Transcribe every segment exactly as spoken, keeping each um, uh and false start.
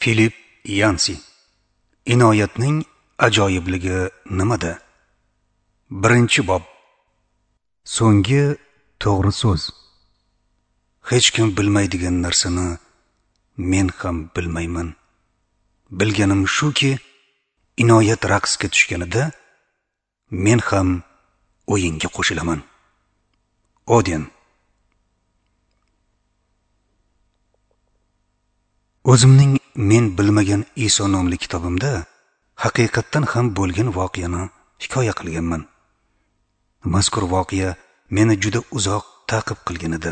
Filip Yansi. Inoyatning ajoyibligi nimada? Birinchi bob. So'nggi to'g'ri so'z. Hech kim bilmaydigan narsani men ham bilmayman. Bilganim shuki, inoyat raqsga tushganida men ham o'yinga qo'shilaman. Oden. O'zimning Men bilmagan Iso nomli kitobimda haqiqatdan ham bo'lgan voqeani hikoya qilganman. Mazkur voqea meni juda uzoq ta'qib qilgan edi.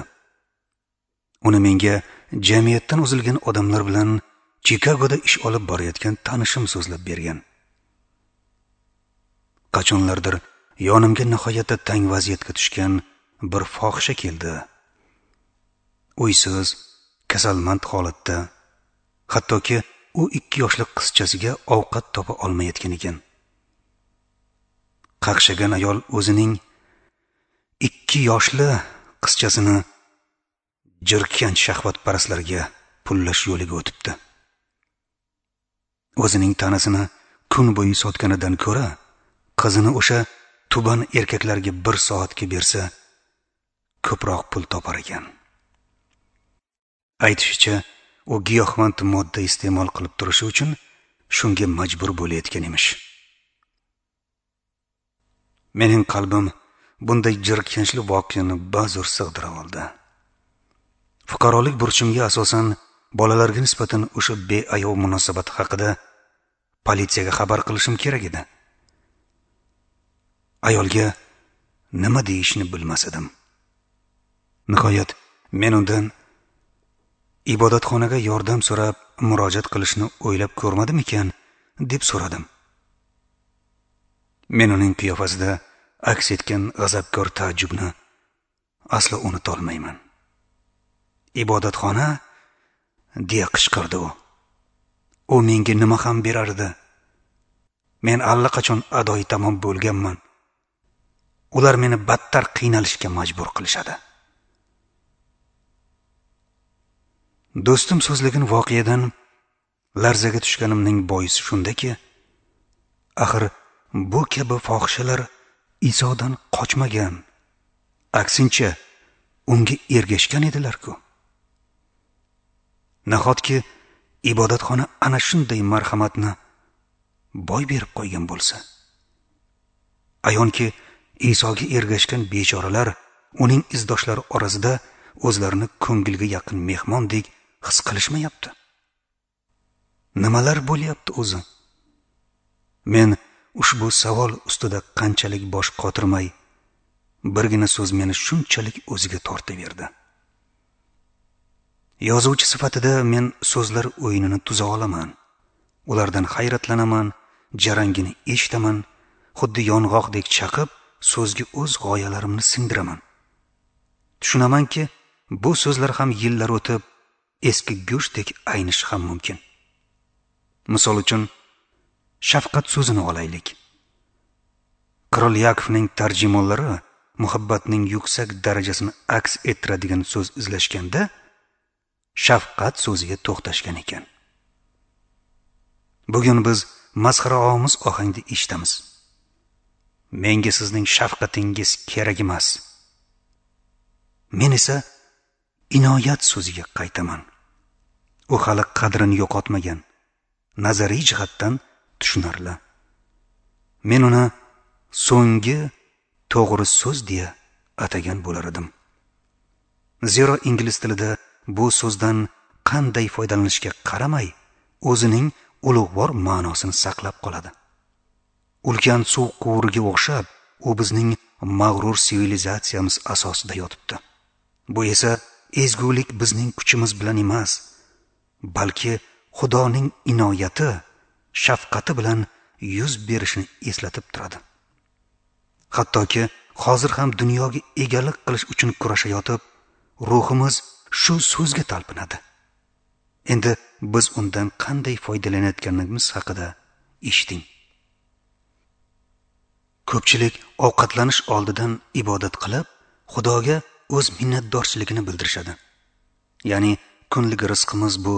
Uni menga jamiyatdan uzilgan odamlar bilan Chikagoda ish olib borayotgan tanishim so'zlab bergan. Qachonlardir yonimga nihoyatda tang vaziyatga tushgan bir fohisha keldi. Uysiz, kasalmand holatda, hattoki u ikki yoshli qizchasiga ovqat topa olmayotgan ekan. Qaqshagan ayol o'zining ikki yoshli qizchasini jirkanch shahvatparastlarga pullash yo'liga o'tibdi. O'zining tanasini kun bo'yi sotganidan ko'ra, qizini o'sha tuban erkaklarga bir soatga bersa, ko'proq pul topar ekan. Aytishicha, u giyohvand modda iste'mol qilib turishi uchun shunga majbur bo'layotgan emish. Mening qalbim bunday jirkanchli voqeani bazo'r sig'dira oldi. Fuqarolik burchimga asosan bolalarga nisbatan o'sha beayov munosabat haqida politsiyaga xabar qilishim kerak edi. Ayolga nima deyishni bilmas edim. Nihoyat men undan ibodatxonaga yordam so'rab murojaat qilishni o'ylab ko'rmadim ekan, deb so'radim. Men uning qiyofasida aks etgan g'azabkor taajjubni aslo unuta olmayman. Ibodatxona, deya qichqirdi u. U menga nima ham berardi? Men allaqachon adoyi tamom bo'lganman. Ular meni battar qiynalishga majbur qilishadi. Do'stim so'zlagan voqeadan larzaga tushganimning boisi shundaki, axir bu kabi fohishalar Isodan qochmagan, aksincha unga ergashgan edilar-ku. Nahotki ibodatxona ana shunday marhamatni boy berib qo'ygan bo'lsa? Ayonki Isoga ergashgan bechoralar uning izdoshlari orasida o'zlarini ko'ngilga yaqin mehmondek his qilishmayapti. Nimalar bo'lyapti o'zi? Men ushbu savol ustida qanchalik bosh qotirmay, birgina so'z meni shunchalik o'ziga tortaverdi. Yozuvchi sifatida men so'zlar o'yinini tuza olaman. Ulardan hayratlanaman, jarangini eshitaman, xuddi yong'oqdek chaqib, so'zga o'z g'oyalarimni singdiraman. Tushunamanki, bu so'zlar ham yillar o'tib eski go'shtdek aynishi ham mumkin. Misol uchun, shafqat so'zini olaylik. Qirol Yakovning tarjimonlari muhabbatning yuksak darajasini aks ettiradigan so'z izlashganda shafqat so'ziga to'xtashgan ekan. Bugun biz masxaraomuz ohangda eshitamiz. Menga sizning shafqatingiz kerak emas. Men esa inoyat so'ziga qaytaman. U hali qadrini yo'qotmagan, nazariy jihatdan tushunarli. Men uni so'nggi to'g'ri so'z deya atagan bo'lar edim. Zero ingliz tilida bu so'zdan qanday foydalanishga qaramay, o'zining ulug'vor ma'nosini saqlab qoladi. Ulkan suv quvuriga o'xshab, u bizning mag'rur sivilizatsiyamiz asosida yotibdi. Bu esa ezgulik bizning kuchimiz bilan emas, balki Xudoning inoyati, shafqati bilan yuz berishini eslatib turadi. Hattoki hozir ham dunyoga egalik qilish uchun kurashayotib, ruhimiz shu so'zga talpinadi. Endi biz undan qanday foydalanayotganimiz haqida eshiting. Ko'pchilik ovqatlanish oldidan ibodat qilib, Xudoga o'z minnatdorchiligini bildirishadi. Ya'ni kunlik rizqimiz bu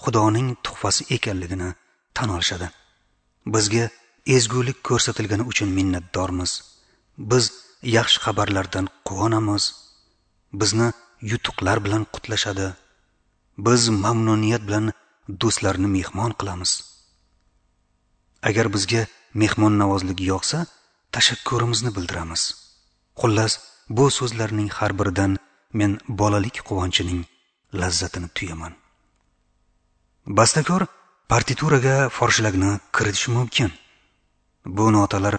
Xudoning tuhfasi ekanligini tan olishadi. Bizga ezgulik ko'rsatilgani uchun minnatdormiz. Biz yaxshi xabarlardan quvonamiz. Bizni yutuqlar bilan qutlashadi. Biz mamnuniyat bilan do'stlarni mehmon qilamiz. Agar bizga mehmonnavozlik yoqsa, tashakkurimizni bildiramiz. Xullas, bu so'zlarning har biridan men bolalik quvonchining lazzatini tuyaman. Bastakor partituraga forshlagni kiritishi mumkin. Bu notalar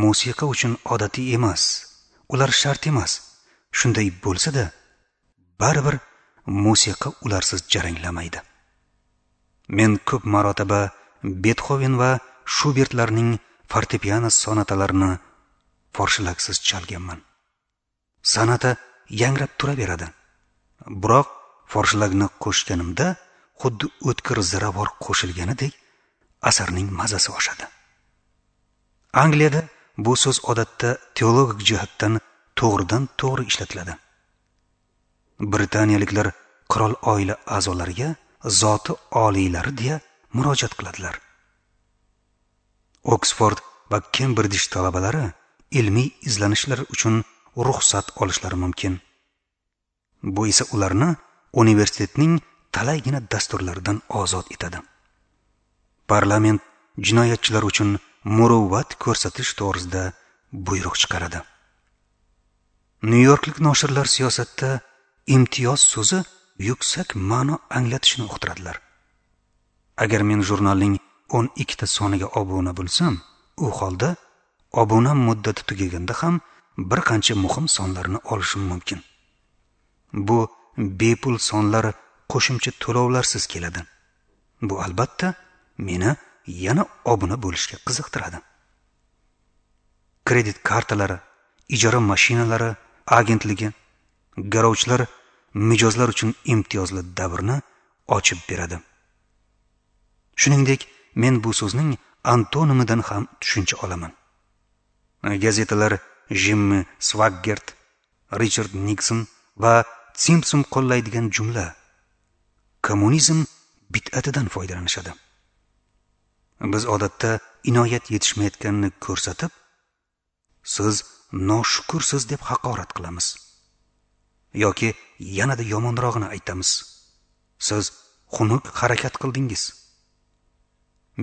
musiqa uchun odatiy emas, ular shart emas. Shunday bo'lsa-da, baribir musiqa ularsiz jaranglamaydi. Men ko'p marotaba Betxoven va Shubertlarning fortepiano sonatalarini forshlagsiz chalganman. Sonata yangrab turaveradi. Biroq forshlagni qo'shganimda xuddi o'tkir ziravor qo'shilganidek asarning mazasi oshadi. Angliyada bu so'z odatda teologik jihatdan to'g'ridan to'g'ri ishlatiladi. Britaniyaliklar qirol oila a'zolariga zoti oliylari deya murojaat qiladilar. Oksford va Kembrij talabalari ilmiy izlanishlar uchun ruxsat olishlari mumkin. Bu esa ularni universitetning talaygina dasturlaridan ozod etadi. Parlament jinoyatchilar uchun muruvvat ko'rsatish to'g'risida buyruq chiqaradi. Nyu-Yorklik noshirlar siyosatda imtiyoz so'zi yuksak ma'no anglatishini uqtiradilar. Agar men jurnalning o'n ikkita soniga obuna bo'lsam, u holda obuna muddati tugaganda ham bir qancha muhim sonlarni olishim mumkin. Bu bepul sonlar qo'shimcha to'lovlarsiz keladi. Bu albatta meni yana obuna bo'lishga qiziqtiradi. Kredit kartalari, ijara mashinalari agentligi, garovchilar mijozlar uchun imtiyozli davrni ochib beradi. Shuningdek, men bu so'zning antonimidan ham tushuncha olaman. Gazetalar Jimmi Swaggart, Richard Nikson va Simpson qo'llaydigan jumla kommunizm bid'atidan foydalanishadi. Biz odatda inoyat yetishmayotganini ko'rsatib, siz noshukursiz deb haqorat qilamiz. Yoki yanada yomonrog'ini aytamiz. Siz xunuk harakat qildingiz.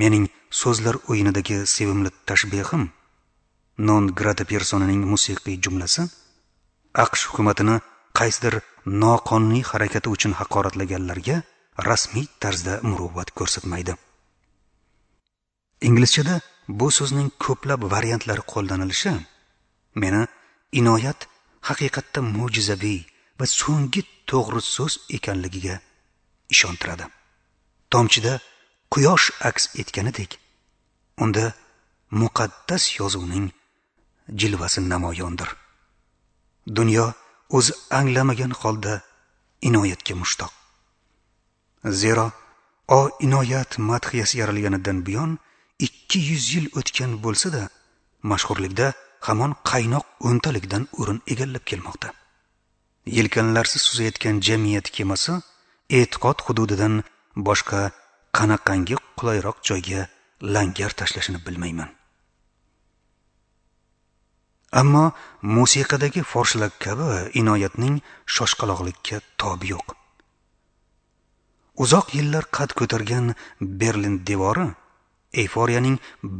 Mening so'zlar o'yinidagi sevimli tashbihim non grata personining musiqiy jumlasi A Q Sh hukumatini qaysidir noqonuniy harakati uchun haqoratlaganlarga rasmiy tarzda muruvvat ko'rsatmaydi. Inglizchada bu so'zning ko'plab variantlari qo'llanilishi meni inoyat haqiqatda mo'jizaviy va so'nggi to'g'ri so'z ekanligiga ishontiradi. Tomchida quyosh aks etganidek, unda muqaddas yozuvning jilvasi namoyondir. Dunyo o'zi anglamagan holda inoyatga mushtoq. Zero o inoyat madhiyasi yaralganidan buyon ikki yuz yil o'tgan bo'lsa-da, mashhurlikda hamon qaynoq o'ntalikdan o'rin egallab kelmoqda. Yelkanlarsiz suzayotgan jamiyat kemasi e'tiqod hududidan boshqa qanaqangi qulayroq joyga langar tashlashini bilmayman. Ammo musiqadagi forshlak kabi inoyatning shoshqaloqlikka tobi yo'q. Uzoq yillar qad ko'targan Berlin devori eyforiyaning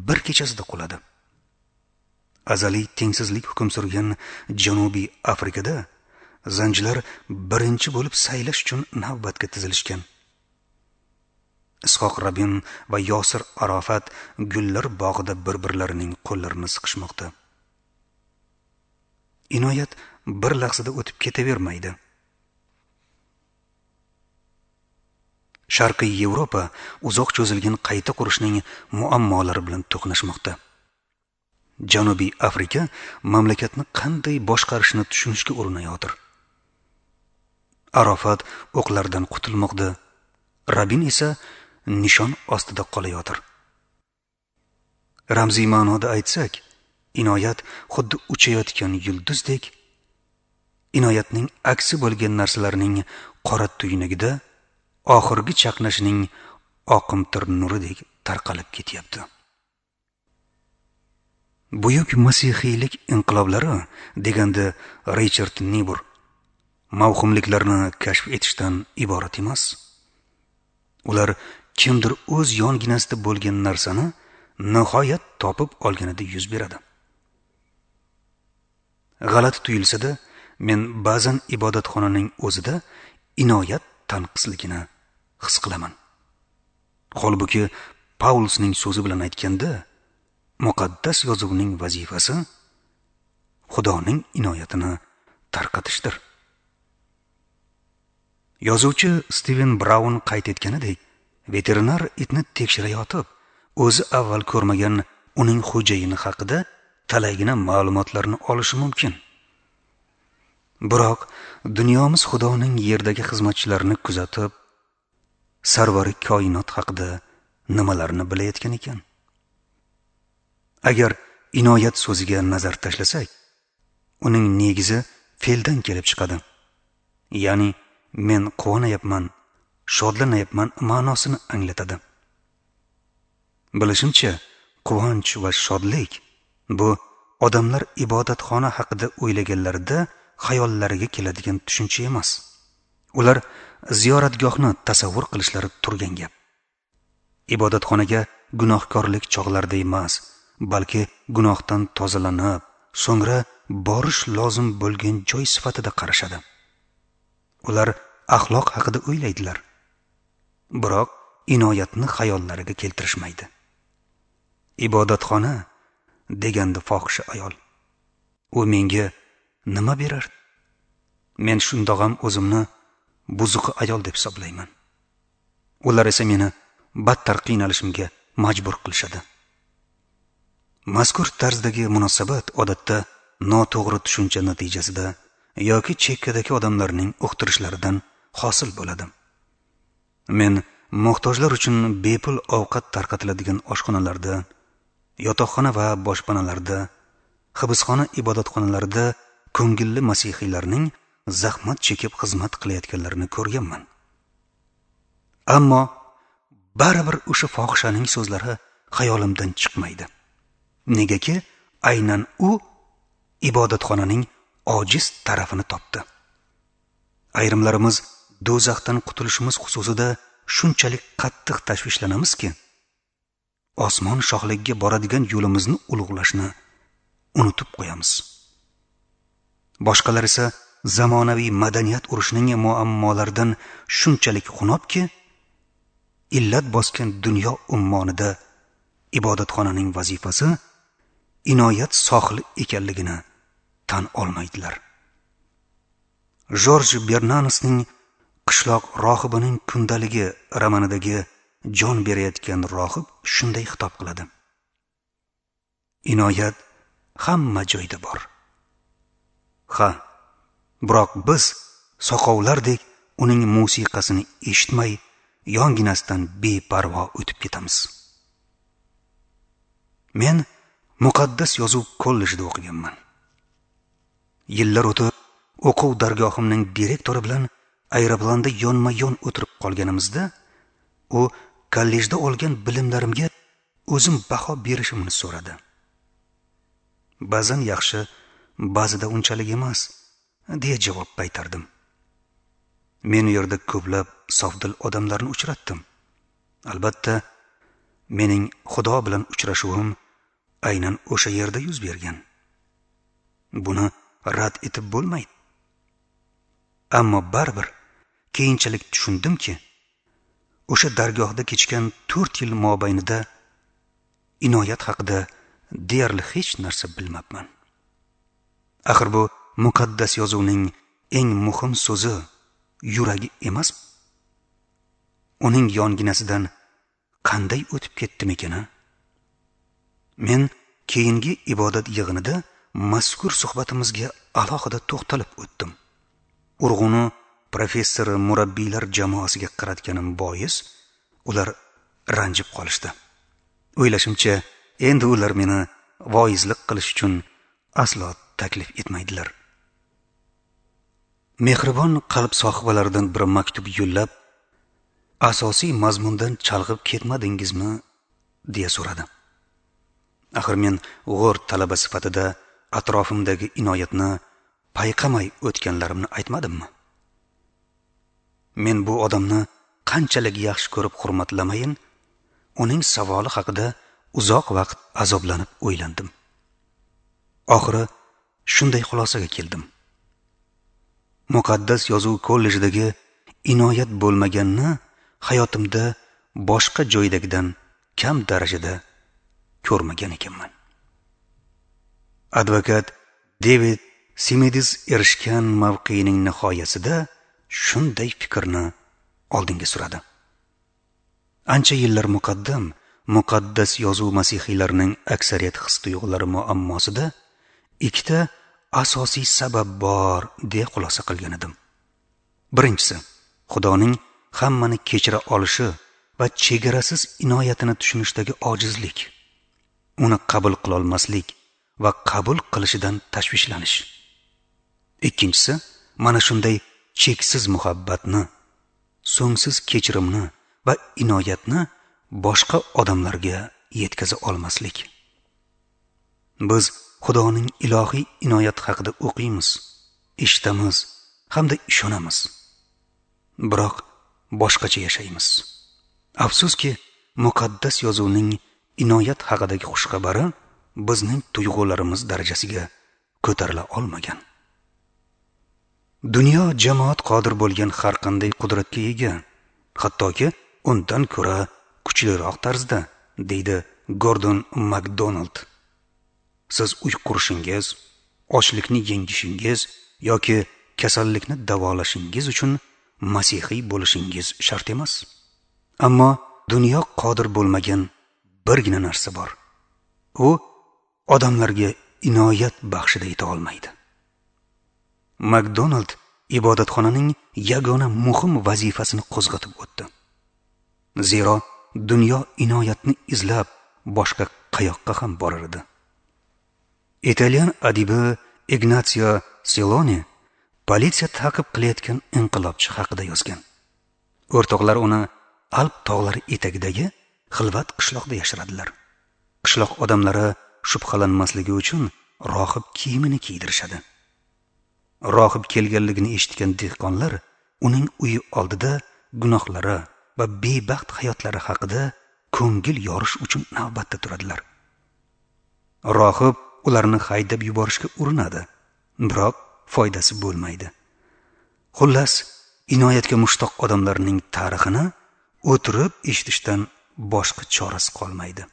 bir kechasida quladi. Azaliy tengsizlik hukm surgan Janubiy Afrikada zanjilar birinchi bo'lib saylash uchun navbatga tizilishgan. Ishoq Rabin va Yosir Arafat gullar bog'ida bir-birlarining qo'llarini siqishmoqda. Inoyat bir lahzada o'tib ketavermaydi. Sharqiy Yevropa uzoq cho'zilgan qayta qurishning muammolari bilan to'qnashmoqda. Janubiy Afrika mamlakatni qanday boshqarishni tushunishga urinayotir. Arafat o'qlardan qutulmoqda, Rabin esa nishon ostida qolayotir. Ramziy ma'noda aytsak, inoyat xuddi uchayotgan yulduzdek, inoyatning aksi bo'lgan narsalarning qora tuynugida oxirgi chaqnashining oqimtir nuridek tarqalib ketyapti. Buyuk masihiylik inqiloblari deganda Richard Nibur mavhumliklarni kashf etishdan iborat emas. Ular kimdir o'z yonginasida bo'lgan narsani nihoyat topib olganida yuz beradi. G'alati tuyulsa-da, men ba'zan ibodatxonaning o'zida inoyat tanqisligini his qilaman. Holbuki Paulusning so'zi bilan aytganda, muqaddas yozuvning vazifasi Xudoning inoyatini tarqatishdir. Yozuvchi Steven Braun qayd etganidek, veterinar itni tekshirayotib, o'zi avval ko'rmagan uning xo'jayini haqida talaygina ma'lumotlarni olishi mumkin. Biroq dunyomiz Xudoning yerdagi xizmatchilarini kuzatib, sarvari koinot haqida nimalarni bilayotgan ekan? Agar inoyat so'ziga nazar tashlasak, uning negizi fe'ldan kelib chiqadi. Ya'ni men quvonayapman, shodlanayapman ma'nosini anglatadi. Bilishimcha, quvonch va shodlik bu odamlar ibodatxona haqida o'ylaganlarida xayollariga keladigan tushuncha emas. Ular ziyoratgohni tasavvur qilishlari turgan gap. Ibodatxonaga gunohkorlik chog'larida emas, balki gunohdan tozalanib, so'ngra borish lozim bo'lgan joy sifatida qarashadi. Ular axloq haqida o'ylaydilar, biroq inoyatni xayollariga keltirishmaydi. Ibodatxona deganda fohisha ayol, u menga nima berar? Men shundoq ham o'zimni buzuq ayol deb hisoblayman. Ular esa meni battar qiynalishimga majbur qilishadi. Mazkur tarzdagi munosabat odatda noto'g'ri tushuncha natijasida yoki chekkadagi odamlarning uqtirishlaridan hosil bo'ladi. Men muhtojlar uchun bepul ovqat tarqatiladigan oshxonalarda, yotoqxona va boshpanalarda, hibsxona ibodatxonalarida ko'ngilli masihiylarning zahmat chekib xizmat qilayotganlarini ko'rganman. Ammo baribir o'sha fohishaning so'zlari xayolimdan chiqmaydi. Negaki aynan u ibodatxonaning ojiz tarafini topdi. Ayrimlarimiz do'zaxdan qutulishimiz xususida shunchalik qattiq tashvishlanamizki, osmon shohligiga boradigan yo'limizni ulug'lashni unutib qo'yamiz. Boshqalar esa zamonaviy madaniyat urushining muammolaridan shunchalik xunobki, illat bosgan dunyo ummonida ibodatxonaning vazifasi inoyat sohili ekanligini tan olmaydilar. Jorj Bernanosning Qishloq rohibining kundaligi romanidagi jon berayotgan rohib shunday xitob qiladi: Inoyat hamma joyda bor. Ha, biroq biz soqovlardek uning musiqasini eshitmay, yonginasidan beparvo o'tib ketamiz. Men muqaddas yozuv kollejida o'qiganman. Yillar o'tib, o'quv dargohimning direktori bilan aeroplanda yonma-yon o'tirib qolganimizda, u kollejda olgan bilimlarimga o'zim baho berishimni so'radi. Ba'zan yaxshi, ba'zida unchalik emas, deya javob qaytardim. Men u yerda ko'plab sofdil odamlarni uchratdim. Albatta, mening Xudo bilan uchrashuvim aynan o'sha yerda yuz bergan. Buni rad etib bo'lmaydi. Ammo baribir keyinchalik tushundimki, o'sha dargohda kechgan to'rt yil mobaynida inoyat haqida deyarli hech narsa bilmabman. Axir bu muqaddas yozuvning eng muhim so'zi yuragi emas. Uning yonginasidan qanday o'tib ketdim ekan? Men keyingi ibodat yig'inida mazkur suhbatimizga alohida to'xtalib o'tdim. Urg'uni professor murabbiylar jamoasiga qaratganim bois ular ranjib qolishdi. O'ylashimcha, endi ular meni voizlik qilish uchun aslo taklif etmaydilar. Mehribon qalb sohibalaridan bir maktub yo'llab, asosiy mazmundan chalg'ib ketmadingizmi, deya so'radi. Axir men g'o'r talaba sifatida atrofimdagi inoyatni payqamay o'tganlarimni aytmadimmi? Men bu odamni qanchalik yaxshi ko'rib hurmatlamayin, uning savoli haqida uzoq vaqt azoblanib o'ylandim. Oxiri shunday xulosaga keldim. Muqaddas yozuv kollejidagi inoyat bo'lmaganni hayotimda boshqa joydagidan kam darajada ko'rmagan ekanman. Advokat David Simidis erishgan mavqening nihoyasida shunday fikrni oldinga suradi. Ancha yillar muqaddam muqaddas yozuv masihiylarining aksariyat his-tuyg'ulari muammosida ikkita asosiy sabab bor deya xulosa qilgan edim. Birinchisi, Xudoning hammani kechira olishi va chegarasiz inoyatini tushunishdagi ojizlik, uni qabul qila olmaslik va qabul qilishidan tashvishlanish. Ikkinchisi, mana shunday cheksiz muhabbatni, so'ngsiz kechirimni va inoyatni boshqa odamlarga yetkaza olmaslik. Biz Xudoning ilohiy inoyat haqida o'qiymiz, eshitamiz hamda ishonamiz. Biroq boshqacha yashaymiz. Afsuski, muqaddas yozuvning inoyat haqidagi xushxabari bizning tuyg'ularimiz darajasiga ko'tarila olmagan. Dunyo jamoat qodir bo'lgan har qanday qudratga ega, hattoki undan ko'ra kuchliroq tarzda, deydi Gordon MacDonald. Siz uy qurishingiz, ochlikni yengishingiz yoki kasallikni davolashingiz uchun masihiy bo'lishingiz shart emas. Ammo dunyo qodir bo'lmagan birgina narsa bor. U odamlarga inoyat baxshida eta olmaydi. MacDonald ibodatxonaning yagona muhim vazifasini qo'zg'atib o'tdi. Zero dunyo inoyatni izlab boshqa qayoqqa ham borar edi. Italyan adibi Ignazio Silone politsiya ta'qib qilayotgan inqilobchi haqida yozgan. O'rtoqlar uni Alp tog'lari etagidagi xilvat qishloqda yashiradilar. Qishloq odamlari shubhalanmasligi uchun rohib kiyimini kiydirishadi. Rohib kelganligini eshitgan dehqonlar uning uyi oldida gunohlari va bebaxt hayotlari haqida ko'ngil yorish uchun navbatda turadilar. Rohib ularni haydab yuborishga urinadi, biroq foydasi bo'lmaydi. Xullas, inoyatga mushtoq odamlarning tarixini o'tirib eshitishdan boshqa chorasi qolmaydi.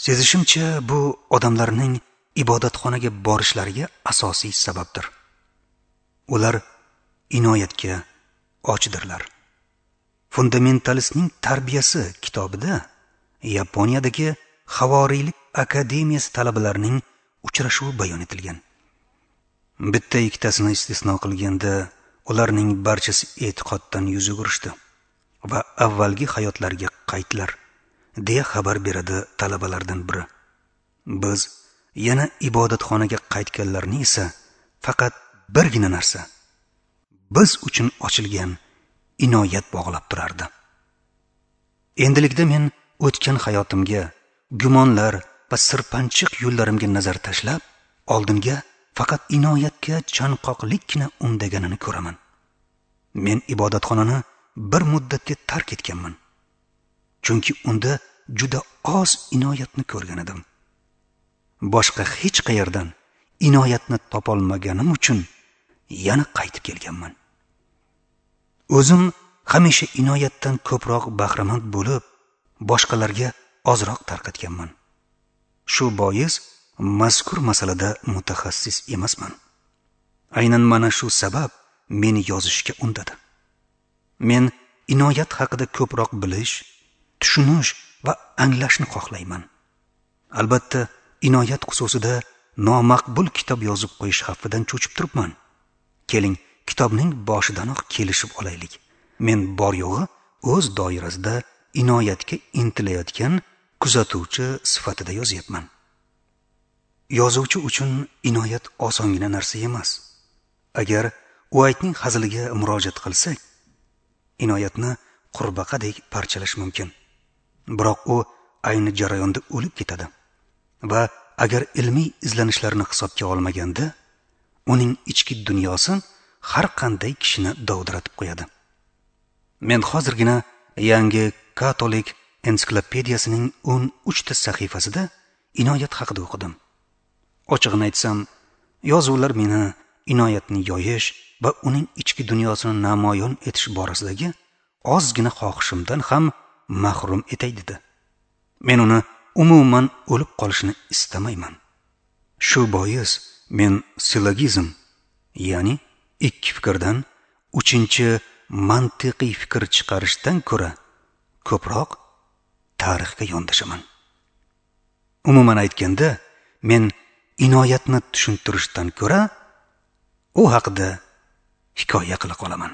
Sezishimcha, bu odamlarning ibodatxonaga borishlariga asosiy sababdir. Ular inoyatga ochdirlar. Fundamentalistning tarbiyasi kitobida Yaponiyadagi Havoriylik akademiyasi talabalarining uchrashuvi bayon etilgan. Bitta ikkitasini istisno qilganda ularning barchasi e'tiqoddan yuz o'girishdi va avvalgi hayotlariga qaytdilar, deya xabar beradi talabalardan biri. Biz yana ibodatxonaga qaytganlarni esa faqat birgina narsa, biz uchun ochilgan inoyat bog'lab turardi. Endilikda men o'tgan hayotimga, gumonlar va sirpanchiq yo'llarimga nazar tashlab, oldinga faqat inoyatga chanqoqlikkina undaganini ko'raman. Men ibodatxonani bir muddatga tark etganman, chunki unda juda oz inoyatni ko'rgan edim. Boshqa hech qayerdan inoyatni topolmaganim uchun yana qaytib kelganman. O'zim hamisha inoyatdan ko'proq bahramand bo'lib, boshqalarga ozroq tarqatganman. Shu bois mazkur masalada mutaxassis emasman. Aynan mana shu sabab meni yozishga undadi. Men inoyat haqida ko'proq bilish, tushunish va anglashni xohlayman. Albatta, inoyat xususida nomaqbul kitob yozib qo'yish xavfidan cho'chib turibman. Keling, kitobning boshidanoq kelishib olaylik. Men bor yo'g'i o'z doirasida inoyatga intilayotgan kuzatuvchi sifatida yozyapman. Yozuvchi uchun inoyat osongina narsa emas. Agar Uaytning haziliga murojaat qilsak, Inoyatni qurbaqadek parchalash mumkin. Biroq u ayni jarayonda o'lib ketadi. Va agar ilmiy izlanishlarni hisobga olmaganda, uning ichki dunyosi har qanday kishini dovdiratib qo'yadi. Men hozirgina yangi katolik ensiklopediyasining o'n uchta sahifasida Inoyat haqida o'qidim. Ochig'ini aytsam, yozuvlar meni Inoyatni yoyish va uning ichki dunyosini namoyon etish borasidagi ozgina xohishimdan ham mahrum etay dedi. Men uni umuman o'lib qolishini istamayman. Shu bois men sillogizm, ya'ni ikki fikrdan uchinchi mantiqiy fikr chiqarishdan ko'ra ko'proq tarixga yondashaman. Umuman aytganda, men Inoyatni tushuntirishdan ko'ra u haqida hikoya qila qolaman.